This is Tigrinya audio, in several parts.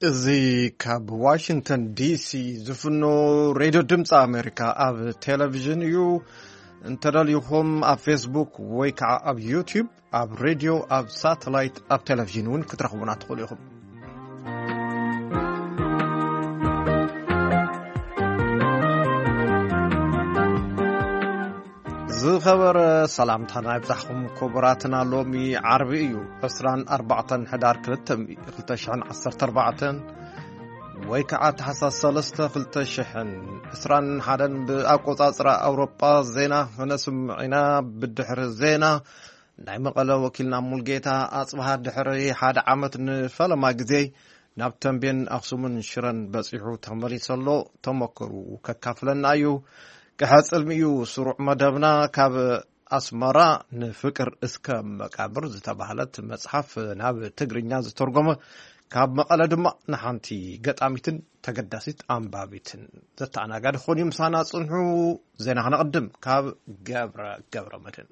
እዚ ካብ ዋሽንግተን ዲሲ ዝፍኖ ሬድዮ ድምፂ ኣሜሪካ ኣብ ቴሌቪዥን እዩ። እንተደልዩኹም ኣብ ፌስቡክ ወይ ከዓ ኣብ ዩቲዩብ፣ ኣብ ሬድዮ፣ ኣብ ሳተላይት፣ ኣብ ቴሌቪዥን እውን ክትረኽቡና ትኽእሉ ኢኹም። ዝኸበረ ሰላምታና ይብዛሕኩም ክቡራትና። ሎሚ ዓርቢ እዩ፣ ዕስራን ኣርባዕተን ሕዳር ክልተ ሚእቲ፣ ክልተ ሽሕን ዓሰርተ ኣርባዕተን ወይ ከዓ ታሕሳስ ሰለስተ ክልተ ሽሕን ዕስራን ሓደን ብኣቆጻጽራ ኣውሮጳ። ዜና ክነስምዕ ኢና። ብድሕሪ ዜና ናይ መቐለ ወኪልና ሙልጌታ ኣጽብሃ ድሕሪ ሓደ ዓመት ንፈለማ ግዜ ናብ ተንቤን፣ ኣኽሱምን ሽረን በጺሑ ተመሊሱ ኣሎ። ተመክሩ ከካፍለና እዩ። ክሕጽልሚ እዩ ስሩዕ መደብና። ካብ ኣስመራ ንፍቅር እስከ መቃብር ዝተባህለት መጽሓፍ ናብ ትግርኛ ዝተርጎመ፣ ካብ መቐለ ድማ ንሓንቲ ገጣሚትን ተገዳሲት ኣንባቢትን ዘተኣናጋዲ ክኾን እዩ። ምሳና ጽንሑ። ዜና ክነቕድም ካብ ገብረ ገብረ መድህን።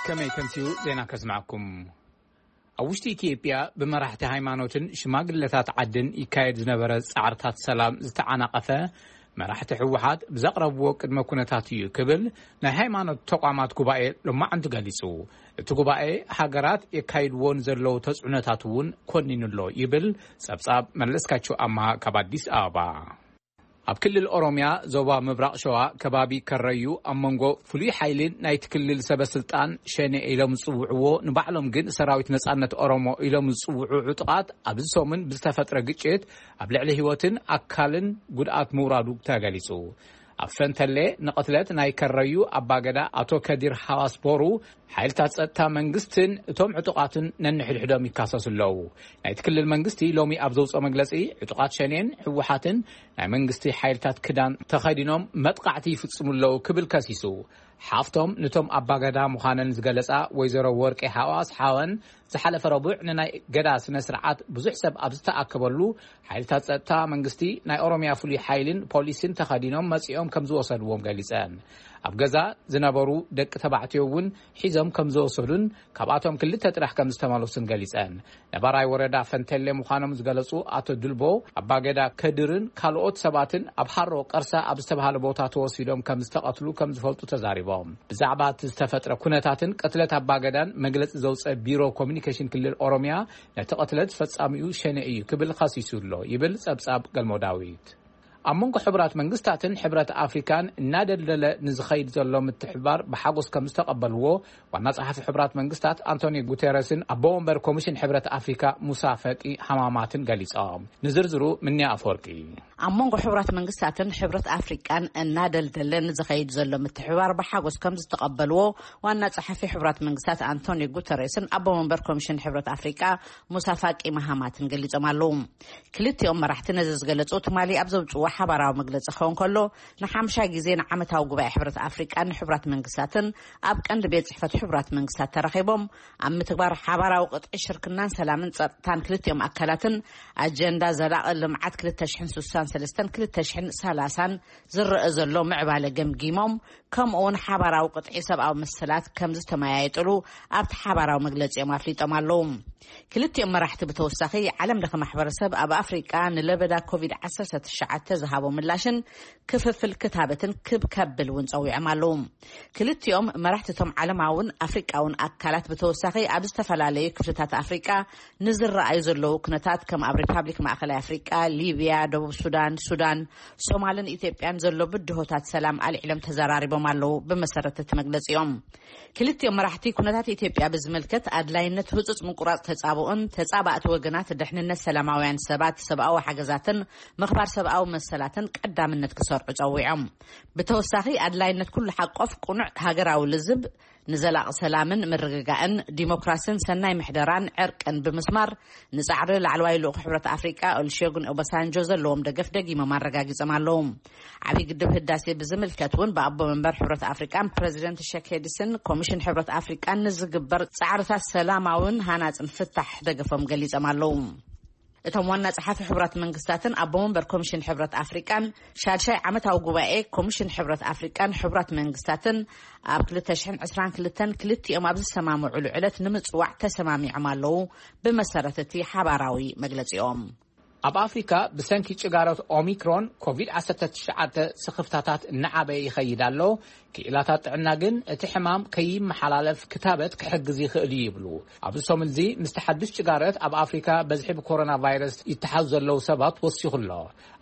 ከመይ ከምሲኡ ዜና ከስማዕኩም። ኣብ ውሽጢ ኢትዮጵያ ብመራሕቲ ሃይማኖትን ሽማግለታት ዓድን ይካየድ ዝነበረ ጻዕርታት ሰላም ዝተዓናቐፈ፣ መራሕቲ ህወሓት ብዘቕረብዎ ቅድመ ኩነታት እዩ ክብል ናይ ሃይማኖት ተቋማት ጉባኤ ሎማዕንቲ ገሊጹ። እቲ ጉባኤ ሃገራት የካይድዎ ንዘለዉ ተጽዕኖታት እውን ኮኒኑ ኣሎ ይብል ጸብጻብ መለስካቸው ኣምሃ ካብ ኣዲስ ኣበባ። ኣብ ክልል ኦሮሚያ ዞባ ምብራቕ ሸዋ ከባቢ ከረዩ ኣብ መንጎ ፍሉይ ሓይልን ናይቲ ክልል ሰበ ስልጣን ሸኔ ኢሎም ዝጽውዕዎ፣ ንባዕሎም ግን ሰራዊት ነጻነት ኦሮሞ ኢሎም ዝጽውዑ ዕጡቓት ኣብዚ ሰሙን ብዝተፈጥረ ግጭት ኣብ ልዕሊ ህይወትን ኣካልን ጉድኣት ምውራዱ ተገሊጹ። ኣብ ፈንተሌ ንቕትለት ናይ ከረዩ ኣባገዳ ኣቶ ከዲር ሃዋስ ቦሩ ሓይልታት ጸጥታ መንግስትን እቶም ዕጡቓትን ነንሕድሕዶም ይካሰሱ ኣለዉ። ናይቲ ክልል መንግስቲ ሎሚ ኣብ ዘውፅኦ መግለፂ፣ ዕጡቓት ሸኔን ህወሓትን ናይ መንግስቲ ሓይልታት ክዳን ተኸዲኖም መጥቃዕቲ ይፍጽሙ ኣለዉ ክብል ከሲሱ። ሓፍቶም ንቶም ኣባገዳ ምዃነን ዝገለጻ ወይዘሮ ወርቂ ሓዋስ ሓወን፣ ዝሓለፈ ረቡዕ ንናይ ገዳ ስነ ስርዓት ብዙሕ ሰብ ኣብ ዝተኣከበሉ፣ ሓይልታት ጸጥታ መንግስቲ፣ ናይ ኦሮሚያ ፍሉይ ሓይልን ፖሊስን ተኸዲኖም መጺኦም ከም ዝወሰድዎም ገሊጸን። ኣብ ገዛ ዝነበሩ ደቂ ተባዕትዮ እውን ሒዞም ከም ዝወሰዱን ካብኣቶም ክልተ ጥራሕ ከም ዝተመለሱን ገሊጸን። ነባራይ ወረዳ ፈንተሌ ምዃኖም ዝገለጹ ኣቶ ድልቦ፣ ኣባገዳ ከድርን ካልኦት ሰባትን ኣብ ሃሮ ቀርሳ ኣብ ዝተባሃለ ቦታ ተወሲዶም ከም ዝተቐትሉ ከም ዝፈልጡ ተዛሪቦም። ብዛዕባ እቲ ዝተፈጥረ ኩነታትን ቅትለት ኣባገዳን መግለጺ ዘውፀ ቢሮ ኮሚኒኬሽን ክልል ኦሮሚያ፣ ነቲ ቅትለት ፈጻሚኡ ሸኔ እዩ ክብል ኸሲሱ ኣሎ ይብል ጸብጻብ ገልሞ ዳዊት። ኣብ መንጎ ሕቡራት መንግስታትን ሕብረት ኣፍሪካን እናደልደለ ንዝኸይድ ዘሎ ምትሕብባር ብሓጎስ ከም ዝተቐበልዎ ዋና ጸሓፊ ሕቡራት መንግስታት ኣንቶኒዮ ጉቴረስን ኣቦ ወንበር ኮሚሽን ሕብረት ኣፍሪካ ሙሳ ፈቂ ሃማማትን ገሊጾም። ንዝርዝሩ ምንያ ኣፈወርቂ። ኣብ መንጎ ሕቡራት መንግስታትን ሕብረት ኣፍሪቃን እናደልደለ ንዝኸይድ ዘሎ ምትሕብባር ብሓጎስ ከም ዝተቐበልዎ ዋና ጸሓፊ ሕቡራት መንግስታት ኣንቶኒዮ ጉተሬስን ኣቦ መንበር ኮሚሽን ሕብረት ኣፍሪቃ ሙሳ ፋቂ ማሃማትን ገሊጾም ኣለዉ። ክልቲኦም መራሕቲ ነዚ ዝገለጹ ትማሊ ኣብ ዘውጽዎ ሓባራዊ መግለጺ ክኸውን ከሎ፣ ንሓምሻይ ግዜ ንዓመታዊ ጉባኤ ሕብረት ኣፍሪቃን ንሕቡራት መንግስታትን ኣብ ቀንዲ ቤት ጽሕፈት ሕቡራት መንግስታት ተራኺቦም ኣብ ምትግባር ሓባራዊ ቅጥዒ ሽርክናን ሰላምን ጸጥታን ክልቲኦም ኣካላትን ኣጀንዳ ዘላቒ ልምዓት ክልተ ሽሕን ስሳን ሰለስተን ክልተ ሽሕን ሰላሳን ዝረአ ዘሎ ምዕባለ ገምጊሞም፣ ከምኡ እውን ሓባራዊ ቅጥዒ ሰብኣዊ መሰላት ከም ዝተመያየጥሉ ኣብቲ ሓባራዊ መግለጺኦም ኣፍሊጦም ኣለዉ። ክልቲኦም መራሕቲ ብተወሳኺ ዓለም ለኸ ማሕበረሰብ ኣብ ኣፍሪቃ ንለበዳ ኮቪድ ዓሰርተ ትሽዓተ ዝሃቦ ምላሽን ክፍፍል ክታበትን ክብ ከብል እውን ጸዊዖም ኣለዉ። ክልቲኦም መራሕቲ እቶም ዓለማውን ኣፍሪቃውን ኣካላት ብተወሳኺ ኣብ ዝተፈላለዩ ክፍልታት ኣፍሪቃ ንዝረኣዩ ዘለዉ ኩነታት ከም ኣብ ሪፓብሊክ ማእኸላይ ኣፍሪቃ፣ ሊብያ፣ ደቡብ ሱዳን፣ ሱዳን፣ ሶማልን ኢትዮጵያን ዘሎ ብድሆታት ሰላም ኣልዒሎም ተዘራሪቦም ኣለዉ። ብመሰረት እቲ መግለጺኦም ክልቲኦም መራሕቲ ኩነታት ኢትዮጵያ ብዝምልከት ኣድላይነት ህጹጽ ምቁራጽ ተጻብኦን ተጻባእቲ ወገናት ድሕንነት ሰላማውያን ሰባት፣ ሰብኣዊ ሓገዛትን ምኽባር ሰብኣዊ መሰላትን ቀዳምነት ክሰርዑ ጸዊዖም። ብተወሳኺ ኣድላይነት ኩሉ ሓቆፍ ቁኑዕ ሃገራዊ ልዝብ ንዘላቒ ሰላምን ምርግጋእን ዲሞክራስን ሰናይ ምሕደራን ዕርቅን ብምስማር ንጻዕሪ ላዕለዋይ ልኡኽ ሕብረት ኣፍሪቃ ኦሉሴጉን ኦባሳንጆ ዘለዎም ደገፍ ደጊሞም ኣረጋጊጾም ኣለዉ። ዓብዪ ግድብ ህዳሴ ብዝምልከት እውን ብኣቦ መንበር ሕብረት ኣፍሪቃን ፕረዚደንት ሸኬድስን ኮሚሽን ሕብረት ኣፍሪቃን ንዝግበር ጻዕርታት ሰላማውን ሃናጽን ፍታሕ ደገፎም ገሊጾም ኣለዉ። እቶም ዋና ጸሓፊ ሕቡራት መንግስታትን ኣቦ መንበር ኮሚሽን ሕብረት ኣፍሪቃን ሻድሻይ ዓመታዊ ጉባኤ ኮሚሽን ሕብረት ኣፍሪቃን ሕቡራት መንግስታትን ኣብ ክልተ ሽሕን ዕስራን ክልተን ክልቲኦም ኣብ ዝሰማምዑሉ ዕለት ንምጽዋዕ ተሰማሚዖም ኣለዉ። ብመሰረት እቲ ሓባራዊ መግለጺኦም፣ ኣብ ኣፍሪካ ብሰንኪ ጭጋረት ኦሚክሮን ኮቪድ ዓሰርተ ትሽዓተ ስኽፍታታት እናዓበየ ይኸይድ ኣሎ። ክኢላታት ጥዕና ግን እቲ ሕማም ከይመሓላለፍ ክታበት ክሕግዝ ይኽእል እዩ ይብሉ። ኣብዚ ሰሙን እዚ ምስቲ ሓዱሽ ጭጋረት ኣብ ኣፍሪካ በዝሒ ብኮሮና ቫይረስ ይተሓዙ ዘለዉ ሰባት ወሲኹ ኣሎ።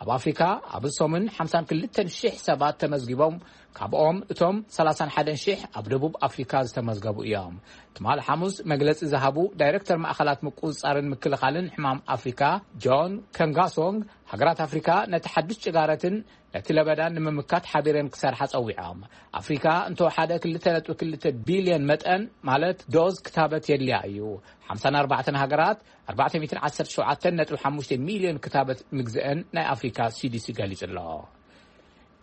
ኣብ ኣፍሪካ ኣብዚ ሰሙን ሓምሳን ክልተን ሽሕ ሰባት ተመዝጊቦም፣ ካብኦም እቶም ሰላሳን ሓደን ሽሕ ኣብ ደቡብ ኣፍሪካ ዝተመዝገቡ እዮም። ትማል ሓሙስ መግለጺ ዝሃቡ ዳይሬክተር ማእኸላት ምቁጽጻርን ምክልኻልን ሕማም ኣፍሪካ ጆን ከንጋሶንግ፣ ሃገራት ኣፍሪካ ነቲ ሓዱሽ ጭጋረትን ነቲ ለበዳን ንምምካት ሓቢረን ክሰርሓ ጸዊዖም። ኣፍሪካ እንተወሓደ ክልተ ነጥቢ ክልተ ቢልዮን መጠን ማለት ዶዝ ክታበት የድልያ እዩ። ሓምሳን ኣርባዕተን ሃገራት ኣርባዕተ ሚእትን ዓሰርተ ሸውዓተን ነጥቢ ሓሙሽተ ሚልዮን ክታበት ምግዝአን ናይ ኣፍሪካ ሲዲሲ ገሊጹ ኣሎ።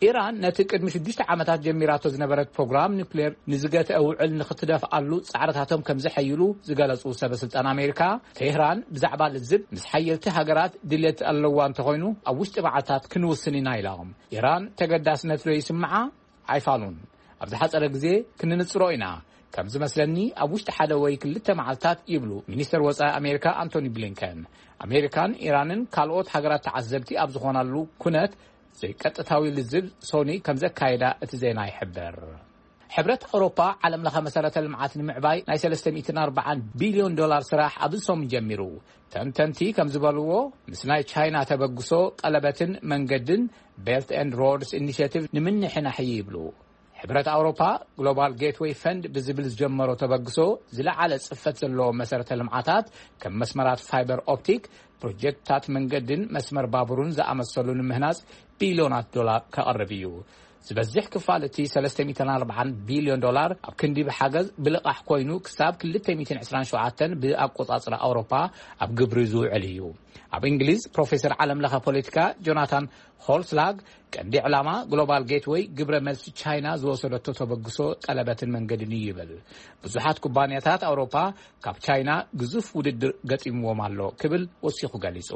ኢራን ነቲ ቅድሚ ሽዱሽተ ዓመታት ጀሚራቶ ዝነበረት ፕሮግራም ኒውክሌር ንዝገትአ ውዕል ንክትደፍኣሉ ጻዕርታቶም ከም ዘሐይሉ ዝገለጹ ሰበ ስልጣን ኣሜሪካ፣ ቴህራን ብዛዕባ ልዝብ ምስ ሓየልቲ ሃገራት ድሌት ኣለዋ እንተኾይኑ ኣብ ውሽጢ መዓልታት ክንውስን ኢና ኢሎም። ኢራን ተገዳስነት ዶ ይስምዓ? ኣይፋሉን። ኣብ ዝሓጸረ ግዜ ክንንጽሮ ኢና። ከም ዝመስለኒ ኣብ ውሽጢ ሓደ ወይ ክልተ መዓልታት ይብሉ ሚኒስተር ወጻኢ ኣሜሪካ ኣንቶኒ ብሊንከን። ኣሜሪካን ኢራንን ካልኦት ሃገራት ተዓዘብቲ ኣብ ዝኾናሉ ኩነት ዘይቀጥታዊ ልዝብ ሶኒ ከም ዘካየዳ እቲ ዜና ይሕብር። ሕብረት ኣውሮፓ ዓለም ለኸ መሰረተ ልምዓት ንምዕባይ ናይ ሰለስተ ሚእትን ኣርባዓን ቢልዮን ዶላር ስራሕ ኣብዚ ሰሙን ጀሚሩ። ተንተንቲ ከም ዝበልዎ ምስ ናይ ቻይና ተበግሶ ቀለበትን መንገድን ቤልት ኤንድ ሮድስ ኢኒሽቲቭ ንምንሕናሕ እዩ ይብሉ። ሕብረት ኣውሮፓ ግሎባል ጌትዌይ ፈንድ ብዝብል ዝጀመሮ ተበግሶ ዝለዓለ ጽፈት ዘለዎ መሰረተ ልምዓታት ከም መስመራት ፋይበር ኦፕቲክ፣ ፕሮጀክትታት መንገድን መስመር ባቡርን ዝኣመሰሉ ንምህናጽ ቢልዮናት ዶላር ከቕርብ እዩ። ዝበዝሕ ክፋል እቲ ሰለስተ ሚእትን ኣርባዓን ቢልዮን ዶላር ኣብ ክንዲ ብሓገዝ ብልቓሕ ኮይኑ ክሳብ ክልተ ሚእትን ዕስራን ሸውዓተን ብኣቆጻጽራ ኣውሮፓ ኣብ ግብሪ ዝውዕል እዩ። ኣብ እንግሊዝ ፕሮፌሰር ዓለም ለኸ ፖለቲካ ጆናታን ሆልስላግ ቀንዲ ዕላማ ግሎባል ጌትወይ ግብረ መልሲ ቻይና ዝወሰደቶ ተበግሶ ቀለበትን መንገድን እዩ ይብል። ብዙሓት ኩባንያታት ኣውሮፓ ካብ ቻይና ግዙፍ ውድድር ገጢምዎም ኣሎ ክብል ወሲኹ ገሊጹ።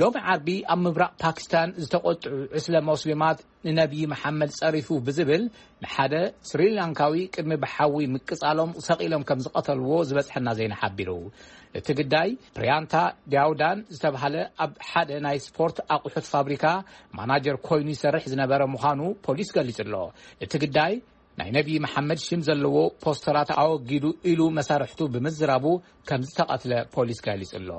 ሎሚ ዓርቢ ኣብ ምብራቕ ፓኪስታን ዝተቖጥዑ ዕስለ ሞስሊማት ንነብዪ መሓመድ ጸሪፉ ብዝብል ንሓደ ስሪላንካዊ ቅድሚ ብሓዊ ምቅጻሎም ሰቒሎም ከም ዝቐተልዎ ዝበጽሐና ዜና ሓቢሩ። እቲ ግዳይ ፕሪያንታ ዲያውዳን ዝተባህለ ኣብ ሓደ ናይ ስፖርት ኣቑሑት ፋብሪካ ማናጀር ኮይኑ ይሰርሕ ዝነበረ ምዃኑ ፖሊስ ገሊጹ ኣሎ። እቲ ግዳይ ናይ ነብዪ መሓመድ ሽም ዘለዎ ፖስተራት ኣወጊዱ ኢሉ መሳርሕቱ ብምዝራቡ ከም ዝተቐትለ ፖሊስ ገሊጹ ኣሎ።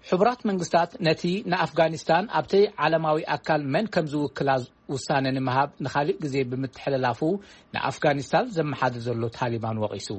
ሕቡራት መንግስታት ነቲ ንኣፍጋኒስታን ኣብቲ ዓለማዊ ኣካል መን ከም ዝውክላ ውሳነ ንምሃብ ንኻልእ ግዜ ብምትሕልላፉ ንኣፍጋኒስታን ዘመሓድር ዘሎ ታሊባን ወቒሱ።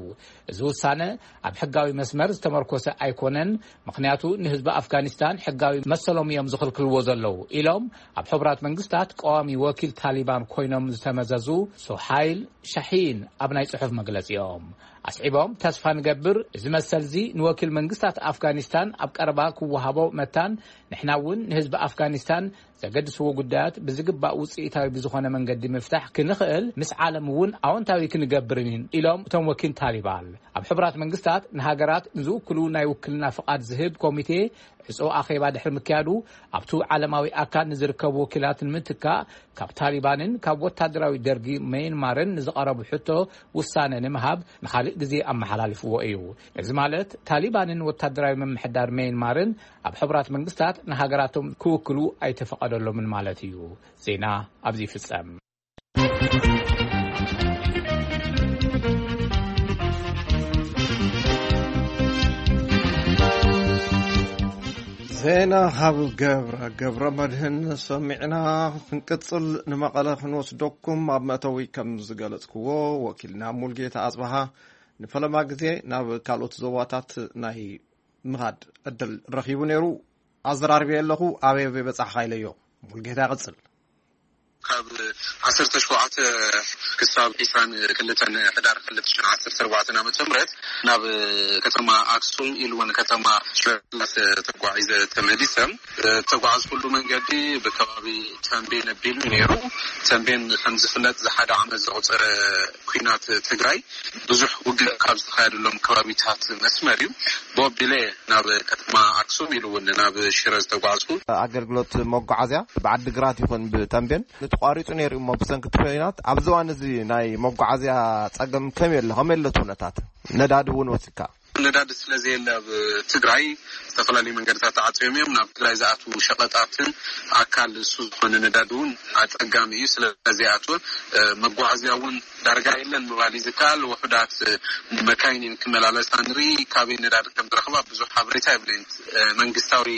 እዚ ውሳነ ኣብ ሕጋዊ መስመር ዝተመርኮሰ ኣይኮነን፣ ምኽንያቱ ንህዝቢ ኣፍጋኒስታን ሕጋዊ መሰሎም እዮም ዝኽልክልዎ ዘለዉ ኢሎም ኣብ ሕቡራት መንግስታት ቀዋሚ ወኪል ታሊባን ኮይኖም ዝተመዘዙ ሶሃይል ሻሂን ኣብ ናይ ጽሑፍ መግለጺኦም ኣስዒቦም፣ ተስፋ ንገብር እዚ መሰልዚ ንወኪል መንግስታት ኣፍጋኒስታን ኣብ ቀረባ ክወሃቦ መታን ንሕና እውን ንህዝቢ ኣፍጋኒስታን ዘገድስዎ ጉዳያት ብዝግባእ ውጽኢታዊ ብዝኾነ መንገዲ ምፍታሕ ክንኽእል ምስ ዓለም እውን ኣወንታዊ ክንገብርን ኢሎም እቶም ወኪል ታሊባን። ኣብ ሕቡራት መንግስታት ንሃገራት ንዝውክሉ ናይ ውክልና ፍቓድ ዝህብ ኮሚቴ ዕጹ ኣኼባ ድሕሪ ምክያዱ ኣብቱ ዓለማዊ ኣካል ንዝርከቡ ወኪላት ንምትካእ ካብ ታሊባንን ካብ ወታደራዊ ደርጊ መየንማርን ንዝቐረቡ ሕቶ ውሳነ ንምሃብ ንኻልእ ግዜ ኣመሓላልፍዎ እዩ። እዚ ማለት ታሊባንን ወታደራዊ ምምሕዳር መየንማርን ኣብ ሕቡራት መንግስታት ንሃገራቶም ክውክሉ ኣይተፈቐደሎምን ማለት እዩ። ዜና ኣብዚ ይፍጸም። ዜና ካብ ገብረ ገብረ መድህን ሰሚዕና። ክንቅጽል ንመቐለ ክንወስደኩም። ኣብ መእተዊ ከም ዝገለጽክዎ ወኪልና ሙልጌታ ኣጽበሃ ንፈለማ ግዜ ናብ ካልኦት ዞባታት ናይ ምኻድ ዕድል ረኺቡ ነይሩ። ኣዘራርበ ኣለኹ። ኣበይ ኣበይ በጻሕኻ ኢለዮ። ሙልጌታ ይቕጽል። ካብ ዓሰርተ ሸውዓተ ክሳብ ዕስራን ክልተን ሕዳር ክልተ ሽሕን ዓሰርተ ኣርባዕተን ዓመተ ምህረት ናብ ከተማ ኣክሱም ኢሉ እውን ከተማ ሽረ ስላሰ ተጓዒዘ ተመሊሰ። ዝተጓዓዝኩሉ መንገዲ ብከባቢ ተንቤን ኣቢሉ ነይሩ። ተንቤን ከም ዝፍለጥ ዝሓደ ዓመት ዘቑፀረ ኲናት ትግራይ ብዙሕ ውግእ ካብ ዝተኻየደሎም ከባቢታት መስመር እዩ። ብወቢለ ናብ ከተማ ኣክሱም ኢሉ እውን ናብ ሽረ ዝተጓዝኩ። ኣገልግሎት መጓዓዝያ ብዓዲግራት ይኹን ብተንቤን ንተቋሪፁ ነይሩ እሞ ብሰንኪ እቲ ኲናት ኣብዚ እዋን እዚ ናይ መጓዓዝያ ፀገም ከመይ ኣሎ? ከመይ ኣሎ እቲ ኩነታት? ነዳዲ እውን ወሲካ? ነዳዲ ስለ ዘየለ ኣብ ትግራይ ዝተፈላለዩ መንገድታት ተዓፅዮም እዮም። ናብ ትግራይ ዝኣትዉ ሸቐጣትን ኣካል እሱ ዝኾነ ነዳዲ እውን ኣፀጋሚ እዩ። ስለ ዘይኣትወ መጓዓዝያ እውን ዳርጋ የለን ምባል እዩ ዝከኣል። ውሑዳት መካይን እየን ክመላለሳ ንርኢ። ካበይ ነዳዲ ከም ዝረኽባ ብዙሕ ሓበሬታ የብለይን። መንግስታዊ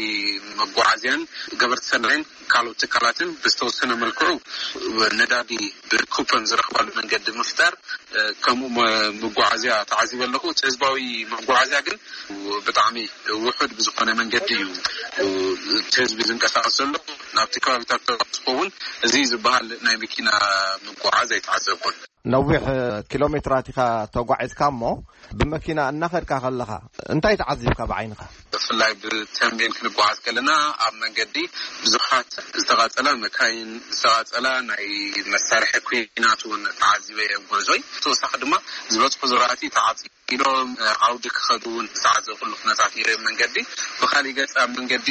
መጓዓዝያን ገበርቲ ሰናይን ካልኦት ትካላትን ብዝተወሰነ መልክዑ ነዳዲ ብኩፐን ዝረኽባሉ መንገዲ ምፍጣር፣ ከምኡ መ- መጓዓዝያ ተዓዚበ ኣለኹ። እቲ ህዝባዊ መጓዓዝያ ግን ብጣዕሚ ውሑድ ብዝኾነ መንገዲ እዩ እቲ ህዝቢ ዝንቀሳቐስ ዘሎ። ናብቲ ከባቢታት ተበፅሑ እውን እዚ ዝበሃል ናይ መኪና ምጉዓዝ ኣይተዓዘብኩን። ነዊሕ ኪሎ ሜትራት ኢኻ ተጓዒዝካ እሞ ብመኪና እናኸድካ ከለኻ እንታይ ተዓዚብካ ብዓይንኻ? ብፍላይ ብተንቤን ክንጓዓዝ ከለና ኣብ መንገዲ ብዙሓት ዝተቓፀላ መካይን፣ ዝተቓፀላ ናይ መሳርሒ ኩናት እውን ተዓዚበ እየ ጉዕዞይ። ተወሳኺ ድማ ዝበፅሑ ዝራእቲ ተዓፂ ኢሎም ዓውዲ ክኸዱ እውን ዝተዓዘብኩሉ ኩነታት ነይረ። መንገዲ ብኻሊእ ገፅ ኣብ መንገዲ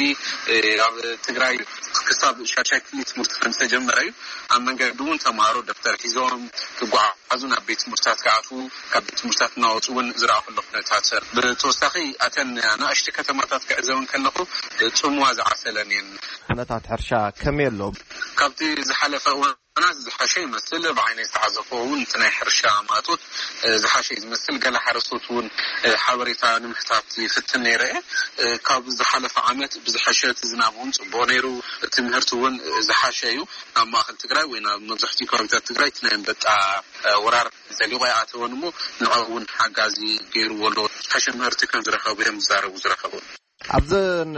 ኣብ ትግራይ ክሳብ ሻሻይ ክፍሊ ትምህርቲ ከም ዝተጀመረ እዩ። ኣብ መንገዲ እውን ተምሃሮ ደብተር ሒዞም ክጓዓዙ ናብ ቤት ትምህርትታት ክኣትዉ፣ ካብ ቤት ትምህርትታት እናወፁ እውን ዝረኣኹሉ ኩነታት። ብተወሳኺ ኣተን ኣናእሽቲ ከተማታት ክዕዘበን ከለኹ ፅምዋ ዝዓሰለን እየን። ኩነታት ሕርሻ ከመይ ኣሎ? ካብቲ ዝሓለፈ እዋን ዝሓሸ ይመስል። ብዓይነይ ዝተዓዘብኩ እውን እቲ ናይ ሕርሻ ማእቶት ዝሓሸ እዩ ዝመስል። ገለ ሓረስቶት እውን ሓበሬታ ንምሕታት ይፍትን ነይረ እየ። ካብ ዝሓለፈ ዓመት ብዝሓሸ እቲ ዝናብ እውን ፅቡቕ ነይሩ። እቲ ምህርቲ እውን ዝሓሸ እዩ። ናብ ማእኸል ትግራይ ወይ ናብ መብዛሕትኡ ከባቢታት ትግራይ እቲ ናይ ኣንበጣ ወራር ዘሊቑ ኣይኣተወን እሞ ንዕኡ እውን ሓጋዚ ገይርዎ ኣሎ። ዝሓሸ ምህርቲ ከም ዝረኸቡ እዮም ዝዛረቡ ዝረኸቡ። ኣብዘን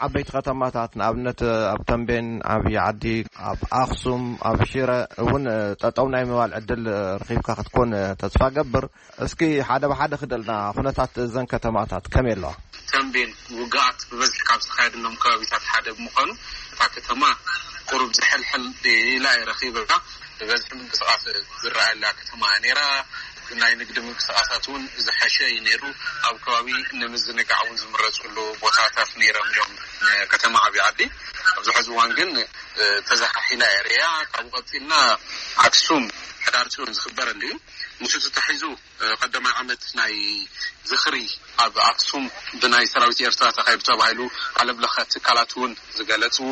ዓበይቲ ከተማታት ንኣብነት ኣብ ተንቤን፣ ዓብዪ ዓዲ፣ ኣብ ኣኽሱም፣ ኣብ ሽረ እውን ጠጠው ናይ ምባል ዕድል ረኺብካ ክትኮን ተስፋ ገብር። እስኪ ሓደ ብሓደ ክደልና ኩነታት እዘን ከተማታት ከመይ ኣለዋ? ተንቤን ውግኣት ብበዝሒ ካብ ዝተኻየደሎም ከባቢታት ሓደ ብምዃኑ እታ ከተማ ቁሩብ ዝሕልሕል ኢላ እየ ረኺበያ። ብበዝሒ ምንቅስቃስ ዝረኣየላ ከተማ እያ ነይራ። ናይ ንግዲ ምንቅስቃሳት እውን ዝሐሸ እዩ ነይሩ። ኣብ ከባቢ ንምዝንጋዕ እውን ዝምረፅሉ ቦታታት ነይሮም እዮም። ከተማ ዓብዪ ዓዲ ኣብዚ ሕዚ እዋን ግን ተዘሓሒላ እያ ርእያ። ካብኡ ቀፂልና ኣክሱም ሕዳር ፅዮን ዝኽበረሉ እዩ። ምስኡ ተታሒዙ ቀዳማይ ዓመት ናይ ዝኽሪ ኣብ ኣክሱም ብናይ ሰራዊት ኤርትራ ተኻይዱ ተባሂሉ ዓለም ለኸ ትካላት እውን ዝገለፅዎ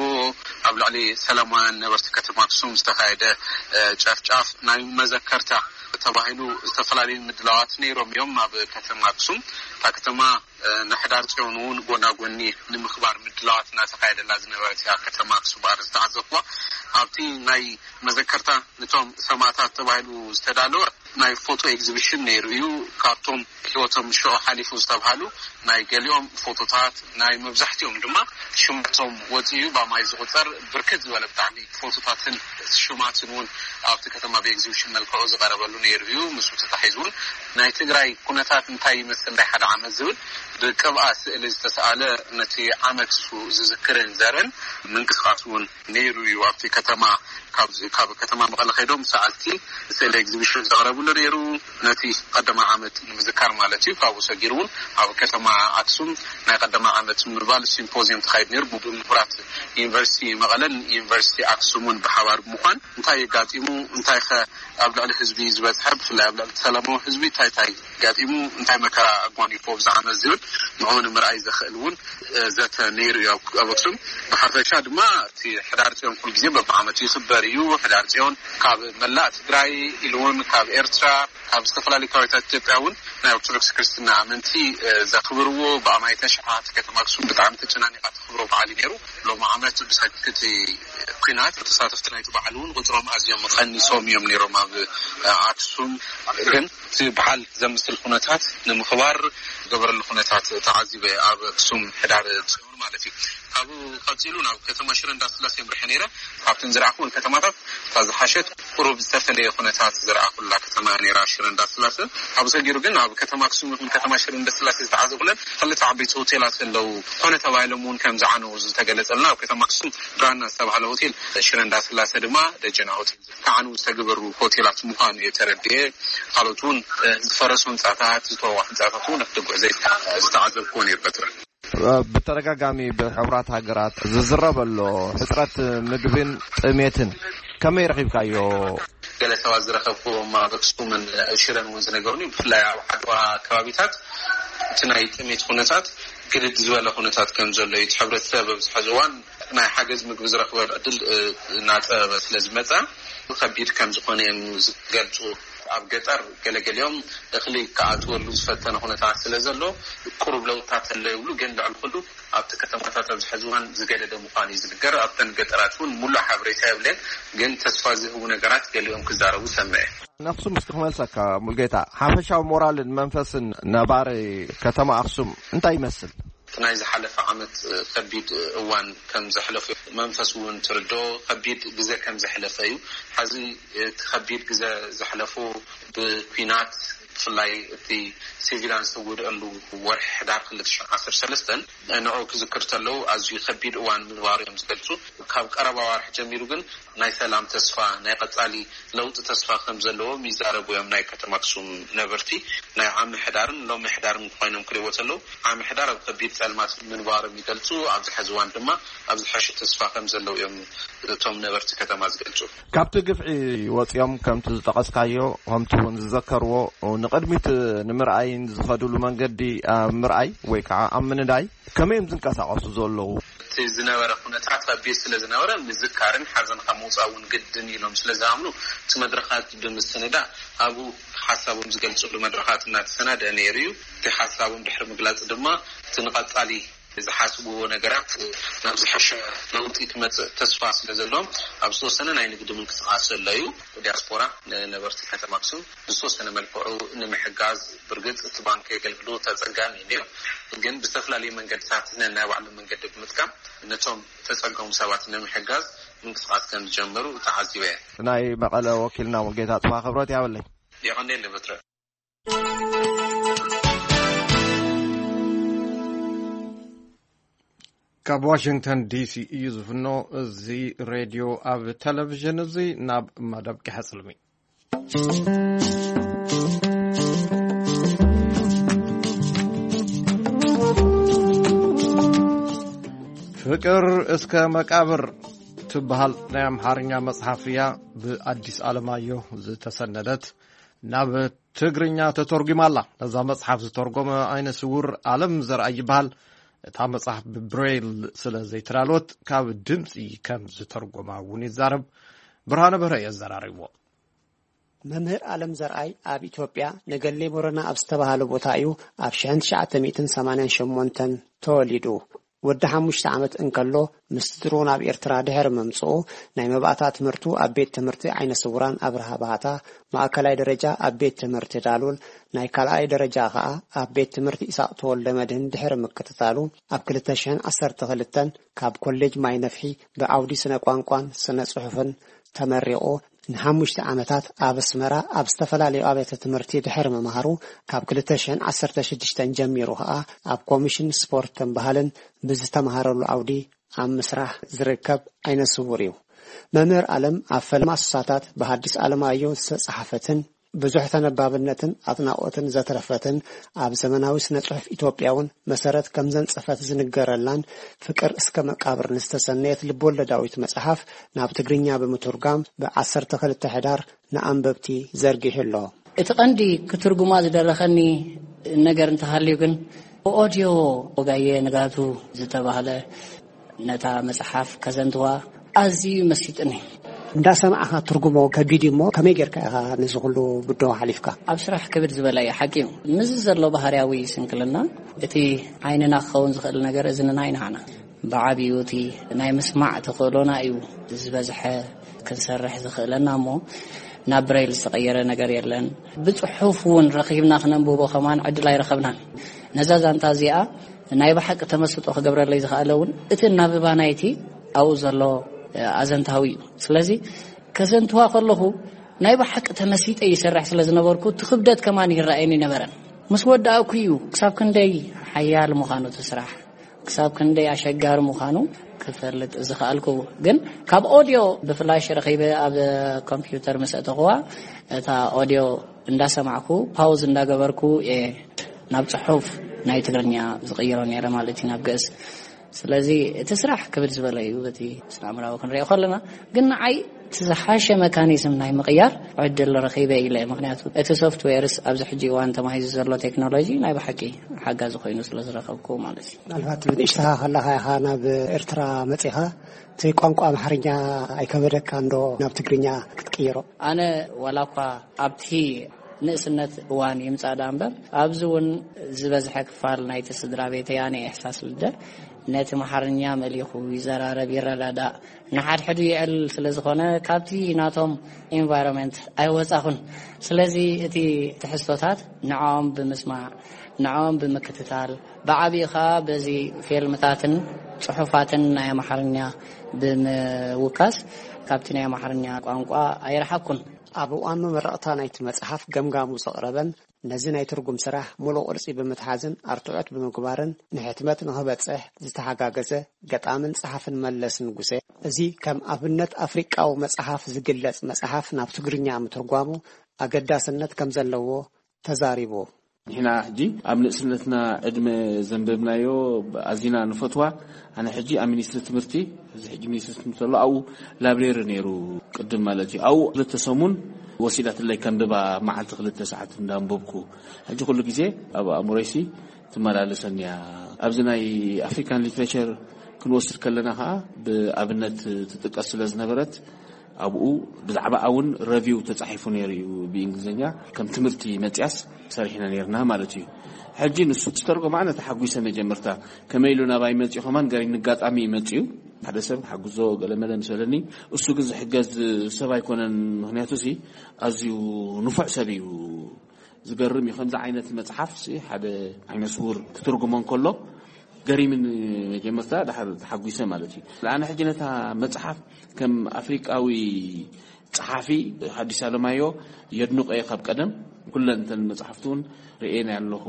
ኣብ ልዕሊ ሰላማውያን ነበርቲ ከተማ ኣክሱም ዝተኻየደ ጨፍጫፍ ናይ መዘከርታ ተባሂሉ ዝተፈላለዩ ምድላዋት ነይሮም እዮም። ኣብ ከተማ ኣክሱም እታ ከተማ ንሕዳር ፅዮን እውን ጎና ጎኒ ንምኽባር ምድላዋት እናተኻየደላ ዝነበረት እያ። ከተማ ኣክሱም ኣር ዝተዓዘብኩዋ ኣብቲ ናይ መዘከርታ ነቶም ሰማእታት ተባሂሉ ዝተዳለወ ናይ ፎቶ ኤግዚቢሽን ነይሩ እዩ። ካብቶም ህይወቶም ሽዑ ሓሊፉ ዝተብሃሉ ናይ ገሊኦም ፎቶታት፣ ናይ መብዛሕትኦም ድማ ሽማቶም ወፂኡ እዩ። ብኣማይ ዝቁፀር ብርክት ዝበለ ብጣዕሚ ፎቶታትን ሽማትን እውን ኣብቲ ከተማ ብኤግዚቢሽን መልክዑ ዝቀረበሉ ነይሩ እዩ። ምስኡ ተታሒዙ እውን ናይ ትግራይ ኩነታት እንታይ ይመስል ናይ ሓደ ዓመት ዝብል ብቅብኣ ስእሊ ዝተሰኣለ ነቲ ዓመት እሱ ዝዝክርን ዘርእን ምንቅስቃስ እውን ነይሩ እዩ። ኣብቲ ከተማ ካብ ከተማ መቐለ ከይዶም ሰኣልቲ ስእሊ ኤግዚቢሽን ዘቕረብሉ ነይሩ። ነቲ ቀዳማይ ዓመት ንምዝካር ማለት እዩ። ካብኡ ሰጊሩ እውን ኣብ ከተማ ኣክሱም ናይ ቀዳማይ ዓመት ምባል ሲምፖዚየም ተኻይዱ ነይሩ። ብምሁራት ዩኒቨርሲቲ መቐለን ዩኒቨርሲቲ ኣክሱምን ብሓባር ብምዃን እንታይ የጋጢሙ፣ እንታይ ከ ኣብ ልዕሊ ህዝቢ ዝበፅሐ፣ ብፍላይ ኣብ ልዕሊ ሰላማዊ ህዝቢ እንታይ እንታይ ጋጢሙ፣ እንታይ መከራ ኣጓኒፎ ብዛዕባ ዝብል ንዕኡ ንምርኣይ ዘኽእል እውን ዘተ ነይሩ እዩ ኣብ ኣክሱም። ብሓፈሻ ድማ እቲ ሕዳር ፅዮን ኩሉ ግዜ በብዓመቱ ይኽበር እዩ። ሕዳር ፅዮን ካብ መላእ ትግራይ ኢሉ እውን ካብ ኤርትራ ካብ ዝተፈላለዩ ከባቢታት ኢትዮጵያ እውን ናይ ኦርቶዶክስ ክርስትና ኣመንቲ ዘኽብርዎ ብኣማይ ተሽዓ። ከተማ ኣክሱም ብጣዕሚ ተጨናኒቃ ተኽብሮ በዓል እዩ ነይሩ። ሎም ዓመት ብሰክቲ ኩናት ተሳተፍቲ ናይቲ በዓል እውን ቁፅሮም ኣዝዮም ቀኒሶም እዮም ነይሮም ኣብ ኣክሱም። ግን እቲ በዓል ዘምስል ኩነታት ንምኽባር ገበረሉ ኩነታት ተዓዚበ ኣብ ኣክሱም ሕዳር ፅዮን ማለት እዩ። ካብኡ ቀፂሉ ናብ ከተማ ሽረ እንዳስላሴ ምርሐ ነይረ። ካብተን ዝረኣኹን ከተማታት እታ ዝሓሸት ቁሩብ ዝተፈለየ ኩነታት ዝረኣኹላ ከተማ ነይራ ሽረ እንዳስላሴ። ካብ ሰጊሩ ግን ኣብ ከተማ ኣክሱም ይኹን ከተማ ሽረ እንዳስላሴ ዝተዓዘብኩለን ክልተ ዓበይቲ ሆቴላት ኣለዉ። ኮነ ተባሂሎም እውን ከም ዝዓነዉ ዝተገለጸልና ኣብ ከተማ ኣክሱም ብራና ዝተባህለ ሆቴል፣ ሽረ እንዳስላሴ ድማ ደጀና ሆቴል ክዓንዉ ዝተገበሩ ሆቴላት ምዃኑ እየ ተረዲኤ። ካልኦት እውን ዝፈረሱ ህንፃታት፣ ዝተወዋ ህንፃታት እውን ክትጉዕ ዝተዓዘብኩዎ ነይሩ በትረ። ብተደጋጋሚ ብሕቡራት ሃገራት ዝዝረብ ኣሎ ሕፅረት ምግብን ጥሜትን ከመይ ረኺብካዮ? ገለ ሰባት ዝረኸብኩዎም ኣብ ኣክሱምን ሽረን እውን ዝነገሩኒ፣ ብፍላይ ኣብ ዓድዋ ከባቢታት እቲ ናይ ጥሜት ኩነታት ግድድ ዝበለ ኩነታት ከም ዘሎ እዩ። እቲ ሕብረተሰብ ኣብዚ ሕዚ እዋን ናይ ሓገዝ ምግቢ ዝረኽበሉ ዕድል እናፀበበ ስለ ዝመፀ ከቢድ ከም ዝኾነ እዮም ዝገልፁ። ኣብ ገጠር ገለገሊኦም እኽሊ ክኣትወሉ ዝፈተነ ኩነታት ስለ ዘሎ ቁሩብ ለውጥታት ኣሎ ይብሉ። ግን ልዕሊ ኩሉ ኣብቲ ከተማታት ኣብዚ ሕዚ እዋን ዝገደደ ምዃኑ እዩ ዝንገር። ኣብተን ገጠራት እውን ሙሉእ ሓበሬታ የብለን። ግን ተስፋ ዝህቡ ነገራት ገሊኦም ክዛረቡ ሰምዐ። ንኣኽሱም እስኪ ክመልሰካ ሙልጌታ፣ ሓፈሻዊ ሞራልን መንፈስን ነባሪ ከተማ ኣኽሱም እንታይ ይመስል? እቲ ናይ ዝሓለፈ ዓመት ከቢድ እዋን ከም ዘሕለፉ መንፈስ እውን ትርዶ ከቢድ ግዜ ከም ዘሕለፈ እዩ። ሓዚ እቲ ከቢድ ግዜ ዘሕለፉ ብኩናት ብፍላይ እቲ ሲቪላን ዝተጎድአሉ ወርሒ ሕዳር ክልተ ሽሕን ዓሰርተ ሰለስተን ንዑ ክዝክር ተለዉ ኣዝዩ ከቢድ እዋን ምንባሩ እዮም ዝገልጹ። ካብ ቀረባ ዋርሒ ጀሚሩ ግን ናይ ሰላም ተስፋ፣ ናይ ቀጻሊ ለውጢ ተስፋ ከም ዘለዎም ይዛረቡ እዮም ናይ ከተማ ኣክሱም ነበርቲ። ናይ ዓሚ ሕዳርን ሎሚ ሕዳርን ኮይኖም ክሪእዎ ተለዉ ዓሚ ሕዳር ኣብ ከቢድ ጸልማት ምንባሮም ይገልጹ። ኣብዚ ሕዚ እዋን ድማ ኣብ ዝሐሸ ተስፋ ከም ዘለዉ እዮም እቶም ነበርቲ ከተማ ዝገልጹ። ካብቲ ግፍዒ ወጺኦም ከምቲ ዝጠቐስካዮ ከምቲ እውን ዝዘከርዎ ንቕድሚት ንምርኣይን ዝኸዱሉ መንገዲ ኣብ ምርኣይ ወይ ከዓ ኣብ ምንዳይ ከመይ እዮም ዝንቀሳቐሱ ዘለዉ? እቲ ዝነበረ ኩነታት ከቢድ ስለ ዝነበረ ምዝካርን ሓዘንካ ምውፃእ እውን ግድን ኢሎም ስለ ዝኣምኑ እቲ መድረኻት ብምስንዳእ ኣብኡ ሓሳቦም ዝገልፅሉ መድረኻት እናተሰናደአ ነይሩ እዩ። እቲ ሓሳቦም ድሕሪ ምግላፅ ድማ እቲ ንቐፃሊ ዝሓስብዎ ነገራት ናብ ዝሐሸ ለውጢ ክመፅእ ተስፋ ስለ ዘለዎም ኣብ ዝተወሰነ ናይ ንግዲ ምንቅስቃስ ዘሎ እዩ። ዲያስፖራ ንነበርቲ ከተማ ኣክሱም ብዝተወሰነ መልክዑ ንምሕጋዝ ብርግፅ እቲ ባንክ የገልግሎት ኣፀጋሚ እዩ ነይሩ። ግን ብዝተፈላለዩ መንገድታት ነናይ ባዕሎም መንገዲ ብምጥቃም ነቶም ተፀገሙ ሰባት ንምሕጋዝ ምንቅስቃስ ከም ዝጀመሩ ተዓዚበ እየ። ናይ መቐለ ወኪልና ሙልጌታ ጽባ ክብረት ያበለይ። የቐኔ ለበትረ ካብ ዋሽንግተን ዲሲ እዩ ዝፍኖ። እዚ ሬድዮ ኣብ ቴሌቪዥን እዚ ናብ መደብ ቂሐ ጽልሚ። ፍቅር እስከ መቃብር ትበሃል ናይ ኣምሓርኛ መጽሓፍ እያ፣ ብኣዲስ ኣለማየሁ ዝተሰነደት። ናብ ትግርኛ ተተርጒማ ኣላ። ነዛ መጽሓፍ ዝተርጎመ ዓይነ ስውር ኣለም ዘርኣይ ይበሃል። እታ መጽሓፍ ብብሬል ስለ ዘይተዳለወት ካብ ድምጺ ከም ዝተርጎማ እውን ይዛረብ። ብርሃነ በርሀ እየ ኣዘራሪብዎ። መምህር ኣለም ዘርኣይ ኣብ ኢትዮጵያ ነገሌ ቦረና ኣብ ዝተባህለ ቦታ እዩ ኣብ ሽሕን ትሽዓተ ሚእትን ሰማንያን ሸሞንተን ተወሊዱ። ወዲ ሓሙሽተ ዓመት እንከሎ ምስ ስድርኡ ናብ ኤርትራ ድሕሪ ምምጽኡ ናይ መባእታ ትምህርቱ ኣብ ቤት ትምህርቲ ዓይነ ስውራን ኣብርሃ ባህታ፣ ማእከላይ ደረጃ ኣብ ቤት ትምህርቲ ዳሉል፣ ናይ ካልኣይ ደረጃ ከኣ ኣብ ቤት ትምህርቲ ኢሳቕ ተወልደ መድህን ድሕሪ ምክትታሉ ኣብ ክልተ ሽሕን ዓሰርተ ክልተን ካብ ኮሌጅ ማይ ነፍሒ ብዓውዲ ስነ ቋንቋን ስነ ጽሑፍን ተመሪቑ ንሓሙሽተ ዓመታት ኣብ ኣስመራ ኣብ ዝተፈላለዩ ኣብያተ ትምህርቲ ድሕሪ ምምሃሩ ካብ ክልተ ሽሕን ዓሰርተ ሽዱሽተን ጀሚሩ ከኣ ኣብ ኮሚሽን ስፖርትን ባህልን ብዝተምሃረሉ ዓውዲ ኣብ ምስራሕ ዝርከብ ዓይነ ስውር እዩ። መምህር ኣለም ኣብ ፈለማ ሱሳታት ብሃዲስ ኣለማየሁ ዝተጻሕፈትን ብዙሕ ተነባብነትን ኣድናቖትን ዘትረፈትን ኣብ ዘመናዊ ስነ ጽሑፍ ኢትዮጵያ እውን መሰረት ከም ዘንጸፈት ዝንገረላን ፍቅር እስከ መቃብር ንዝተሰነየት ልብወለዳዊት መጽሓፍ ናብ ትግርኛ ብምትርጓም ብ ዓሰርተ ክልተ ሕዳር ንኣንበብቲ ዘርጊሑ ኣሎ። እቲ ቀንዲ ክትርጉማ ዝደረኸኒ ነገር እንተሃልዩ ግን ብኦድዮ ወጋየ ንጋቱ ዝተባህለ ነታ መጽሓፍ ከዘንትዋ ኣዝዩ መሲጥኒ። እንዳሰማዕኻ ትርጉሞ ከቢድ እዩ እሞ ከመይ ጌርካ ኢኻ ነዚ ኩሉ ብድሆ ሓሊፍካ? ኣብ ስራሕ ክብድ ዝበለ እዩ፣ ሓቂ እዩ። ምስዚ ዘሎ ባህርያዊ ስንክልና እቲ ዓይንና ክኸውን ዝኽእል ነገር እዝንና ኣይንሃና። ብዓብዩ እቲ ናይ ምስማዕ ተኽእሎና እዩ ዝበዝሐ ክንሰርሕ ዝኽእለና እሞ ናብ ብሬል ዝተቐየረ ነገር የለን። ብጽሑፍ እውን ረኺብና ክነንብቦ ከማን ዕድል ኣይረኸብናን። ነዛ ዛንታ እዚኣ ናይ ብሓቂ ተመስጦ ክገብረለይ ዝኽኣለ እውን እቲ እናብባ ናይቲ ኣብኡ ዘሎ ኣዘንታዊ እዩ። ስለዚ ከዘንትዋ ከለኹ ናይ ብሓቂ ተመሲጠ ይሰርሕ ስለ ዝነበርኩ እቲ ክብደት ከማን ይረኣየኒ ነበረን። ምስ ወዳእኩ እዩ ክሳብ ክንደይ ሓያል ምዃኑ እቲ ስራሕ፣ ክሳብ ክንደይ ኣሸጋሪ ምዃኑ ክፈልጥ ዝኽኣልኩ። ግን ካብ ኦድዮ ብፍላሽ ረኺበ ኣብ ኮምፒውተር ምስ ኣእተኹዋ እታ ኦድዮ እንዳሰማዕኩ ፓውዝ እንዳገበርኩ እየ ናብ ጽሑፍ ናይ ትግርኛ ዝቕይሮ ነይረ ማለት እዩ፣ ናብ ግእዝ። ስለዚ እቲ ስራሕ ክብድ ዝበለ እዩ በቲ ስነ ኣእምራዊ ክንሪኦ ከለና። ግን ንዓይ እቲ ዝሓሸ መካኒዝም ናይ ምቕያር ዕድል ረኺበ ኢለ፣ ምክንያቱ እቲ ሶፍትዌርስ ኣብዚ ሕጂ እዋን ተማሂዙ ዘሎ ቴክኖሎጂ ናይ ብሓቂ ሓጋዚ ኮይኑ ስለ ዝረኸብኩ ማለት እዩ። ምናልባት ብንእሽተኻ ከለኻ ኢኻ ናብ ኤርትራ መጺኻ፣ እቲ ቋንቋ ኣምሓርኛ ኣይከበደካ እንዶ ናብ ትግርኛ ክትቅይሮ? ኣነ ዋላ እኳ ኣብቲ ንእስነት እዋን ይምጻእ ደኣ እምበር፣ ኣብዚ እውን ዝበዝሐ ክፋል ናይቲ ስድራ ቤተይ፣ ኣነ እየ ሕሳስ ልደ፣ ነቲ መሓርኛ መሊኹ ይዘራረብ፣ ይረዳዳእ፣ ንሓድሕዱ ይዕል ስለ ዝኾነ፣ ካብቲ ናቶም ኢንቫይሮንመንት ኣይወጻኹን። ስለዚ እቲ ትሕዝቶታት ንዕኦም ብምስማዕ፣ ንዕኦም ብምክትታል፣ ብዓቢኡ ኸኣ በዚ ፊልምታትን ጽሑፋትን ናይ ኣምሓርኛ ብምውካስ፣ ካብቲ ናይ ኣምሓርኛ ቋንቋ ኣይረሓቅኩን። ኣብ እዋን መመረቕታ ናይቲ መጽሓፍ ገምጋሙ ዘቕረበን ነዚ ናይ ትርጉም ስራሕ ምሉእ ቅርጺ ብምትሓዝን ኣርትዖት ብምግባርን ንሕትመት ንኽበጽሕ ዝተሓጋገዘ ገጣምን ጸሓፍን መለስ ንጉሴ፣ እዚ ከም ኣብነት ኣፍሪቃዊ መጽሓፍ ዝግለጽ መጽሓፍ ናብ ትግርኛ ምትርጓሙ ኣገዳስነት ከም ዘለዎ ተዛሪቡ። ንሕና ሕጂ ኣብ ንእስነትና ዕድመ ዘንበብናዮ ኣዚና ንፈትዋ። ኣነ ሕጂ ኣብ ሚኒስትሪ ትምህርቲ፣ እዚ ሕጂ ሚኒስትሪ ትምህርቲ ኣሎ፣ ኣብኡ ላብሬሪ ነይሩ ቅድም ማለት እዩ። ኣብኡ ክልተ ሰሙን ወሲዳትለይ ከንብባ፣ መዓልቲ ክልተ ሰዓት እንዳንበብኩ። ሕጂ ኩሉ ግዜ ኣብ ኣእምሮይሲ ትመላለሰኒ እያ። ኣብዚ ናይ ኣፍሪካን ሊትሬቸር ክንወስድ ከለና ከዓ ብኣብነት ትጥቀስ ስለ ዝነበረት፣ ኣብኡ ብዛዕባ እውን ረቪው ተጻሒፉ ነይሩ እዩ ብእንግሊዝኛ፣ ከም ትምህርቲ መጽያስ ሰሪሕና ነይርና ማለት እዩ። ሕጂ ንሱ ዝተርጎማ ኣነ ተሓጒሰ። መጀመርታ ከመይ ኢሉ ናባይ መጺኡ ከማን ገሪም ንጋጣሚ እዩ መጺኡ። ሓደ ሰብ ሓግዞ ገለመለ ምስ በለኒ፣ እሱ ግን ዝሕገዝ ሰብ ኣይኮነን። ምክንያቱ ሲ ኣዝዩ ንፉዕ ሰብ እዩ። ዝገርም እዩ። ከምዚ ዓይነት መጽሓፍ ሲ ሓደ ዓይነ ስውር ክትርጉሞ እንከሎ ገሪምን መጀመርታ ድሓር ተሓጒሰ ማለት እዩ። ኣነ ሕጂ ነታ መጽሓፍ ከም ኣፍሪቃዊ ጸሓፊ ሓዲስ ኣለማዮ የድንቆ እየ ካብ ቀደም። ኩለን እተን መጽሓፍቲ እውን ርእየን ኣለኹ።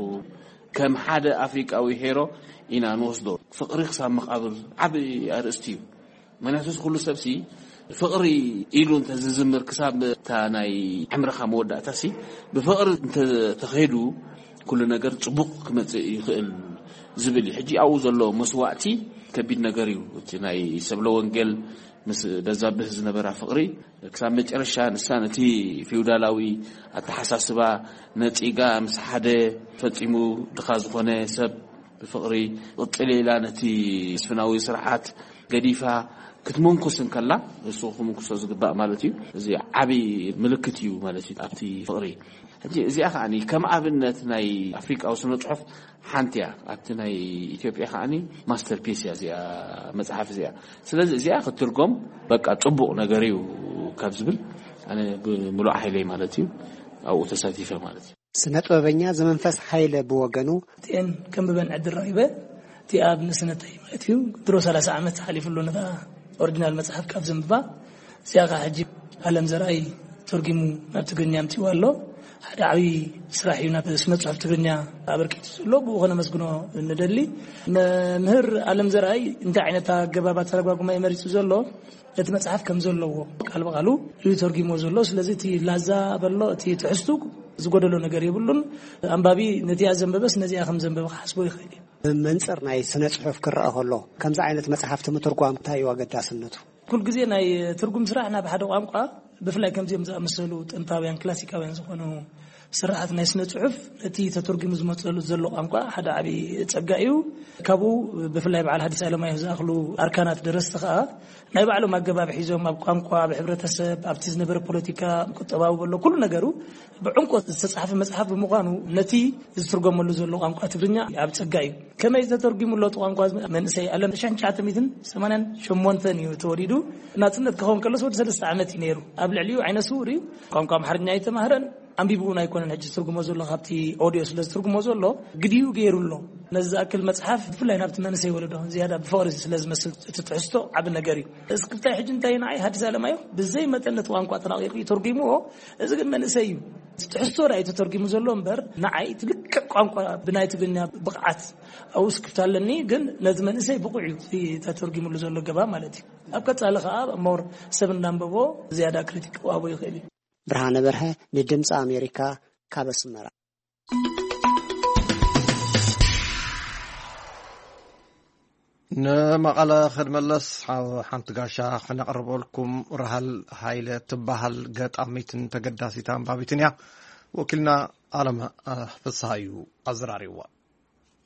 ከም ሓደ ኣፍሪቃዊ ሄሮ ኢና ንወስዶ። ፍቕሪ ክሳብ መቓብር ዓቢ ኣርእስቲ እዩ። ምክንያቱ እዚ ኩሉ ሰብሲ ፍቕሪ ኢሉ እንተዝዝምር ክሳብ እታ ናይ ዕምርኻ መወዳእታሲ ብፍቕሪ እንተተኸይዱ ኩሉ ነገር ጽቡቕ ክመጽእ ይኽእል ዝብል እዩ። ሕጂ ኣብኡ ዘሎ መስዋእቲ ከቢድ ነገር እዩ። እቲ ናይ ሰብለ ወንጌል ምስ በዛብህ ዝነበራ ፍቕሪ ክሳብ መጨረሻ ንሳ ነቲ ፊውዳላዊ ኣተሓሳስባ ነጺጋ ምስ ሓደ ፈጺሙ ድኻ ዝኾነ ሰብ ብፍቕሪ ቅጽል ኢላ ነቲ ስፍናዊ ስርዓት ገዲፋ ክትምንኩስ እንከላ፣ እሱ ክምንኩሶ ዝግባእ ማለት እዩ። እዚ ዓቢ ምልክት እዩ ማለት እዩ ኣብቲ ፍቕሪ። ሕጂ እዚኣ ከዓኒ ከም ኣብነት ናይ ኣፍሪቃዊ ስነ ጽሑፍ ሓንቲ እያ። ኣብቲ ናይ ኢትዮጵያ ከዓኒ ማስተርፒስ እያ እዚኣ መጽሓፍ እዚኣ። ስለዚ እዚኣ ክትትርጎም በቃ ጽቡቕ ነገር እዩ ካብ ዝብል ኣነ ብምሉእ ሓይለይ ማለት እዩ ኣብኡ ተሳቲፈ ማለት እዩ። ስነ ጥበበኛ ዘመንፈስ ሓይለ ብወገኑ፣ እቲኤን ከንብበን ዕድል ረኺበ፣ እቲ ኣብ ንእስነተይ ማለት እዩ፣ ድሮ ሰላሳ ዓመት ሓሊፉ ኣሎ ነታ ኦሪጂናል መጽሓፍ ካብ ዘንብባ። እዚኣ ኸዓ ሕጂ ኣለም ዘርኣይ ተርጊሙ ናብ ትግርኛ ኣምጺእዋ ኣሎ። ሓደ ዓብዪ ስራሕ እዩ ናብ ስነ ጽሑፍ ትግርኛ ኣበርኪቱ ዘሎ፣ ብኡ ከነመስግኖ ንደሊ። መምህር ኣለም ዘርኣይ እንታይ ዓይነት ኣገባብ ኣተረጓጉማ እዩ መሪጹ ዘሎ? እቲ መጽሓፍ ከም ዘለዎ ቃል ብቓሉ እዩ ተርጊሞ ዘሎ። ስለዚ እቲ ላዛ በሎ፣ እቲ ትሕዝቱ ዝጎደሎ ነገር የብሉን። ኣንባቢ ነቲኣ ዘንበበስ ነዚኣ ከም ዘንበበ ክሓስቦ ይኽእል እዩ። ብመንጽር ናይ ስነ ጽሑፍ ክረኣ ከሎ ከምዚ ዓይነት መጽሓፍቲ ምትርጓም እንታይ እዩ ኣገዳስነቱ? ኩል ግዜ ናይ ትርጉም ስራሕ ናብ ሓደ ቋንቋ ብፍላይ ከምዚኦም ዝኣመሰሉ ጥንታውያን ክላሲካውያን ዝኾኑ ስርዓት ናይ ስነ ጽሑፍ ነቲ ተተርጉሙ ዝመጸሉ ዘሎ ቋንቋ ሓደ ዓቢ ጸጋ እዩ። ካብኡ ብፍላይ በዓል ሓዲስ ኣለማየሁ ዝኣኽሉ ኣርካናት ደረስቲ ከኣ ናይ ባዕሎም ኣገባብ ሒዞም ኣብ ቋንቋ፣ ኣብ ሕብረተሰብ፣ ኣብቲ ዝነበረ ፖለቲካ፣ ቁጠባዊ በሎ ኩሉ ነገሩ ብዕምቆት ዝተጻሕፈ መጽሓፍ ብምዃኑ ነቲ ዝትርጎመሉ ዘሎ ቋንቋ ትግርኛ ኣብ ጸጋ እዩ። ከመይ ተተርጉሙ ኣሎ እቲ ቋንቋ? መንእሰይ ኣለም ሽሕን ትሽዓተ ሚእትን ሰማንያን ሸሞንተን እዩ ተወሊዱ። ናጽነት ክኸውን ከሎስ ወዲ ሰለስተ ዓመት እዩ ነይሩ። ኣብ ልዕሊኡ ዓይነ ስውር እዩ። ቋንቋ ኣምሓርኛ ኣይተማህረን። ኣንቢቡ እውን ኣይኮነን ሕጂ ዝትርጉሞ ዘሎ፣ ካብቲ ኦድዮ ስለ ዝትርጉሞ ዘሎ ግዲኡ ገይሩ ኣሎ። ነዚ ዝኣክል መጽሓፍ ብፍላይ ናብቲ መንእሰይ ወለዶ ዝያዳ ብፍቕሪ ስለ ዝመስል እቲ ትሕዝቶ ዓቢ ነገር እዩ። እስክብታይ ሕጂ እንታይ ንዓይ ሓዲስ ኣለማዮ ብዘይ መጠን ነቲ ቋንቋ ተራቒቑ እዩ ተርጉምዎ። እዚ ግን መንእሰይ እዩ። እቲ ትሕዝቶ ዳ እዩ ተተርጉሙ ዘሎ እምበር ንዓይ እቲ ልክዕ ቋንቋ ብናይ ትግርኛ ብቕዓት ኣብኡ ስክፍታ ኣለኒ። ግን ነዚ መንእሰይ ብቑዕ እዩ እቲ ተተርጉምሉ ዘሎ ገባ ማለት እዩ። ኣብ ቀጻሊ ከኣ ሞር ሰብ እንዳንበቦ ዝያዳ ክሪቲክ ክወሃቦ ይኽእል እዩ። ብርሃነ በርሀ ንድምፂ ኣሜሪካ ካብ ኣስመራ። ንመቐለ ክንመለስ ሓንቲ ጋሻ ክነቕርበልኩም። ራህል ሃይለ ትበሃል ገጣሚትን ተገዳሲት ኣንባቢትን እያ። ወኪልና ኣለም ፍስሃ እዩ ኣዘራሪብዋ።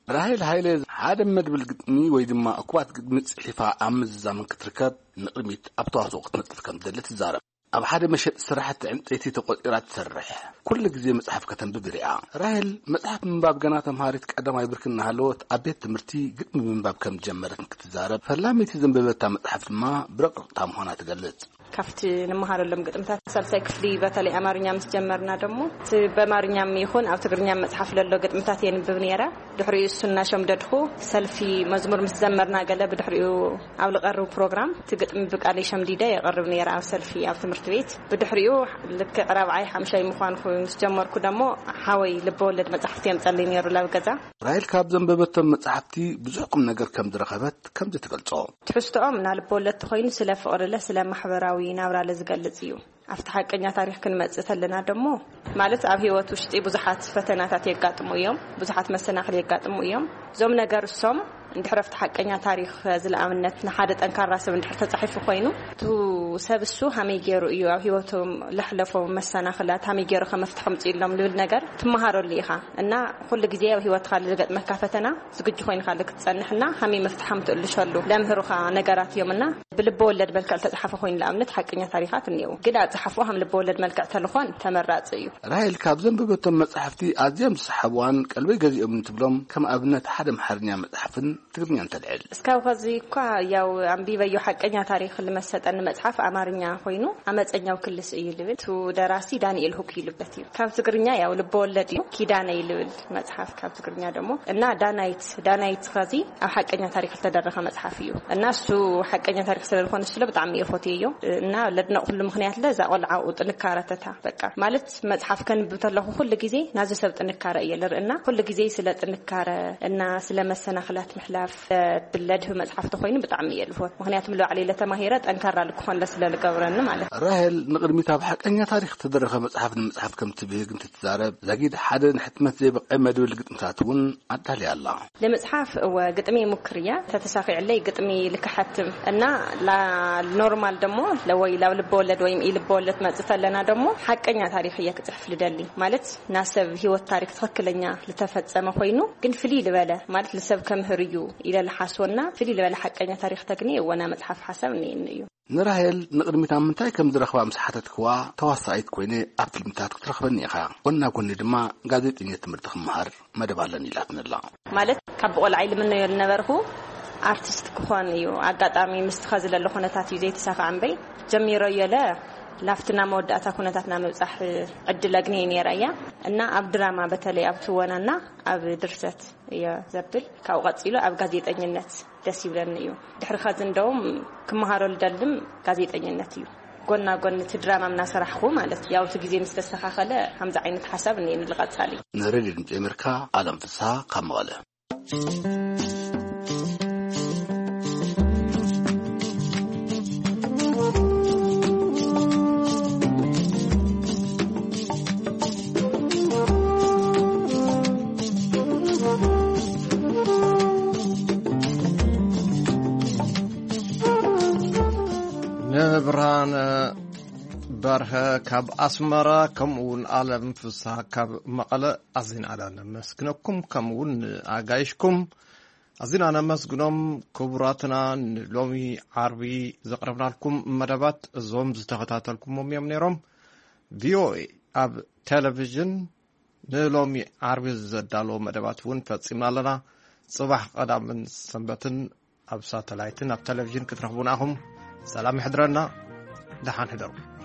ራሄል ሃይለ ሓደ መድብል ግጥሚ ወይ ድማ እኩባት ግጥሚ ጽሒፋ ኣብ ምዝዛም ክትርከብ ንቕድሚት ኣብ ተዋስኦ ክትነጥፍ ከም ትደሊ ትዛረብ። ኣብ ሓደ መሸጢ ስራሕቲ ዕንጸይቲ ተቖጺራ ትሰርሕ። ኩሉ ግዜ መጽሓፍ ከተንብብ ይርኣ። ራሄል መጽሓፍ ምንባብ ገና ተምሃሪት ቀዳማይ ብርኪ እናሃለወት ኣብ ቤት ትምህርቲ ግጥሚ ምንባብ ከም ዝጀመረት ክትዛረብ፣ ፈላሚቲ ዘንበበታ መጽሓፍ ድማ ብረቕረቕታ ምዃና ትገልጽ። ካብቲ ንመሃረሎም ግጥምታት ሳልሳይ ክፍሊ በተለይ ኣማርኛ ምስ ጀመርና ደሞ እቲ በኣማርኛም ይኹን ኣብ ትግርኛ መጽሓፍ ለሎ ግጥምታት የንብብ ነይረ። ድሕሪኡ እሱ እናሸምደድኹ ሰልፊ መዝሙር ምስ ዘመርና ገለ ብድሕሪኡ ኣብ ልቐርብ ፕሮግራም እቲ ግጥሚ ብቃለይ ሸምዲደ የቐርብ ነይረ ኣብ ሰልፊ ኣብ ትምህርቲ ቤት። ብድሕሪኡ ልክዕ ራብዓይ ሓምሻይ ምዃንኩ ምስ ጀመርኩ ደሞ ሓወይ ልበወለድ መጻሕፍቲ የምጸለይ ነይሩ ላብ ገዛ። ራሄል ካብ ዘንበበቶም መጻሕፍቲ ብዙሕ ቁም ነገር ከም ዝረኸበት ከምዚ ትገልጾ። ትሕዝቶኦም ናልቦ ወለድ ተኾይኑ ስለ ፍቕሪ ለ ስለ ማሕበራዊ ናብራ ለ ዝገልጽ እዩ። ኣብቲ ሓቀኛ ታሪኽ ክንመጽእ ተለና ደሞ ማለት ኣብ ህይወት ውሽጢ ብዙሓት ፈተናታት የጋጥሙ እዮም፣ ብዙሓት መሰናኽል የጋጥሙ እዮም። እዞም ነገር እሶም እንድሕር ኣብቲ ሓቀኛ ታሪኽ ዝለኣምነት ንሓደ ጠንካራ ሰብ እንድሕር ተጻሒፉ ኮይኑ እቱ ሰብ እሱ ሃመይ ገይሩ እዩ ኣብ ህይወቶም ለሕለፎም መሰናኽላት ሃመይ ገይሩ ከመፍትሖም ጽኢሎም ልብል ነገር ትመሃረሉ ኢኻ። እና ኩሉ ግዜ ኣብ ህይወትካ ዝገጥመካ ፈተና ዝግጁ ኮይንካ ክትጸንሕና ሃመይ መፍትሓም ትእልሸሉ ለምህሩኻ ነገራት እዮም። እና ብልቢ ወለድ መልክዕ ዝተጻሓፈ ኮይኑ ንኣብነት ሓቀኛ ታሪኻት እኒአው ግን ኣጻሓፍኡ ሃም ልቢ ወለድ መልክዕ ተልኾን ተመራጺ እዩ። ራሄል ካብ ዘንበበቶም መጻሕፍቲ ኣዝዮም ዝሰሓብዋን ቀልበይ ገዚኦም እንትብሎም ከም ኣብነት ሓደ ኣምሓርኛ መጽሓፍን ትግርኛን ተልዕል። እስካብ ከዚ እኳ ያው ኣንቢበዮ ሓቀኛ ታሪኽ ልመሰጠኒ መጽሓፍ ኣማርኛ ኮይኑ ኣመፀኛው ክልስ እዩ ልብል። እቱ ደራሲ ዳንኤል ሁክ ይልበት እዩ። ካብ ትግርኛ ያው ልበወለድ እዩ ኪዳነ ይልብል መጽሓፍ ካብ ትግርኛ ደሞ እና ዳናይት ዳናይት ከዚ ኣብ ሓቀኛ ታሪኽ ዝተደረኸ መጽሓፍ እዩ። እና እሱ ሓቀኛ ታሪኽ ስለ ዝኾነ ስለ ብጣዕሚ እየ ፎትየዮ። እና ለድነቕ ኩሉ ምኽንያት ለ እዛ ቆልዓኡ ጥንካረተታ በቃ ማለት መጽሓፍ ከንብብ ተለኹ ኩሉ ግዜ ናዚ ሰብ ጥንካረ እየ ልርእና። ኩሉ ግዜ ስለ ጥንካረ እና ስለ መሰናኽላት ምሕላፍ ብለድህ መጽሓፍ ተኾይኑ ብጣዕሚ እየ ልፎት። ምኽንያቱ ምልባዕለይ ለተማሂረ ጠንካራ ልክኾን ለስለ ልገብረኒ ማለት። ራሄል ንቕድሚት ኣብ ሓቀኛ ታሪኽ ተደረኸ መጽሓፍ ንምጽሓፍ ከም ትብህግ እንትትዛረብ፣ ዛጊድ ሓደ ንሕትመት ዘይበቕዐ መድብል ግጥምታት እውን ኣዳልያ ኣላ። ለመጽሓፍ እወ ግጥሚ ሙክር እያ። ተተሳኺዕለይ ግጥሚ ልክሓትም እና ላ-፣ ኖርማል ደሞ ለወይ ላብ ልበወለድ ወይም ኢልበወለድ መጽእ ተለና ደሞ ሓቀኛ ታሪኽ እየ ክጽሕፍ ልደሊ። ማለት ናሰብ ህይወት ታሪኽ ትኽክለኛ ልተፈጸመ ኮይኑ ግን ፍልይ ልበለ ማለት ልሰብ ከምህር እዩ ኢለ ልሓስወና ፍልይ ልበለ ሓቀኛ ታሪኽ ተግኒ እወና መጽሓፍ ሓሳብ እኒእኒ እዩ። ንራሄል ንቕድሚት ኣብ ምንታይ ከም ዝረኽባ ምስ ሓተትክዋ፣ ተዋሳኢት ኮይነ ኣብ ፊልምታት ክትረኽበኒ ኢኻ። ጎና ጎኒ ድማ ጋዜጠኛ ትምህርቲ ክመሃር መደብ ኣለኒ ኢላትኒ ኣላ። ማለት ካብ ቆልዓይ ልምነዮ ዝነበርኩ ኣርቲስት ክኾን እዩ። ኣጋጣሚ ምስቲ ኸዚ ለሎ ኩነታት እዩ ዘይተሳኻዕ እምበይ ጀሚረዮ ለ ላፍትና መወዳእታ ኩነታትና ምብጻሕ ዕድል ኣግንየ ነይረ እያ። እና ኣብ ድራማ በተለይ ኣብ ትወናና ኣብ ድርሰት እየ ዘብል። ካብኡ ቀጺሉ ኣብ ጋዜጠኝነት ደስ ይብለኒ እዩ። ድሕሪ ኸዚ እንደውም ክመሃሮ ልደልም ጋዜጠኝነት እዩ። ጎና ጎን እቲ ድራማ እናሰራሕኩ ማለት እዩ። ያው እቲ ግዜ ምስ ተስተኻኸለ ከምዚ ዓይነት ሓሳብ እኒኤኒ ልቐጻሊ። ንሬድዮ ድምፂ ኣሜሪካ ኣለም ፍስሃ ካብ መቐለ። ንብርሃነ በርሀ ካብ ኣስመራ፣ ከምኡ እውን ኣለም ፍስሃ ካብ መቐለ። ኣዚና ነመስግነኩም፣ ከምኡ እውን ንኣጋይሽኩም ኣዚና ነመስግኖም። ክቡራትና፣ ንሎሚ ዓርቢ ዘቕረብናልኩም መደባት እዞም ዝተኸታተልኩሞም እዮም ነይሮም። ቪኦኤ ኣብ ቴሌቪዥን ንሎሚ ዓርቢ ዘዳለዎ መደባት እውን ፈጺምና ኣለና። ጽባሕ ቀዳምን ሰንበትን ኣብ ሳተላይትን ኣብ ቴሌቪዥን ክትረኽቡና ኢኹም። ሰላም ይሕድረና። ደሓን ሕደሩ።